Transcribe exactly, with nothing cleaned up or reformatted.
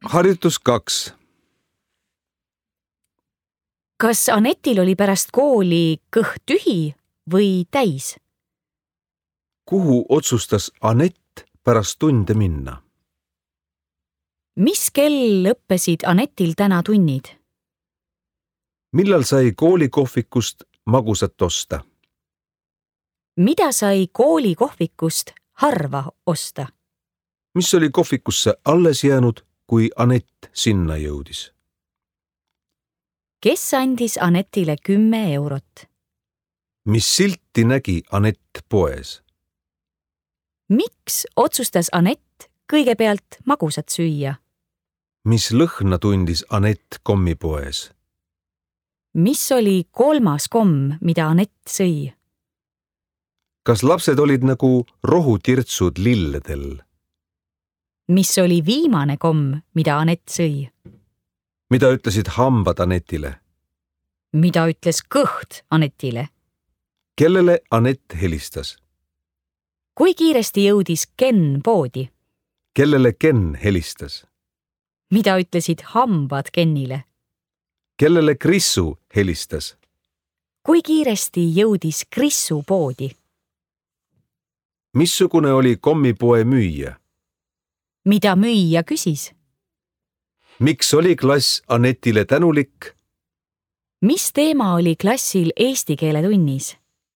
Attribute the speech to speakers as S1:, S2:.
S1: Harjutus kaks.
S2: Kas Anetil oli pärast kooli kõht tühi või täis?
S1: Kuhu otsustas Anett pärast tunde minna?
S2: Mis kell lõppesid Anetil täna tunnid?
S1: Millal sai koolikohvikust magusat osta?
S2: Mida sai koolikohvikust harva osta?
S1: Mis oli kohvikusse alles jäänud, kui Anett sinna jõudis?
S2: Kes andis Anetile kümme eurot?
S1: Mis silti nägi Anett poes?
S2: Miks otsustas Anett kõigepealt magusat süüa?
S1: Mis lõhna tundis Anett kommipoes?
S2: Mis oli kolmas komm, mida Anett sõi?
S1: Kas lapsed olid nagu rohutirtsud lilledel?
S2: Mis oli viimane komm, mida Anett sõi?
S1: Mida ütlesid hambad Anetile?
S2: Mida ütles kõht Anetile?
S1: Kellele Anett helistas?
S2: Kui kiiresti jõudis Ken poodi?
S1: Kellele Ken helistas?
S2: Mida ütlesid hambad Kenile?
S1: Kellele Krissu helistas?
S2: Kui kiiresti jõudis Krissu poodi?
S1: Missugune oli kommipoe müüja?
S2: Mida müüja küsis?
S1: Miks oli klass Anetile tänulik?
S2: Mis teema oli klassil eesti keele tunnis?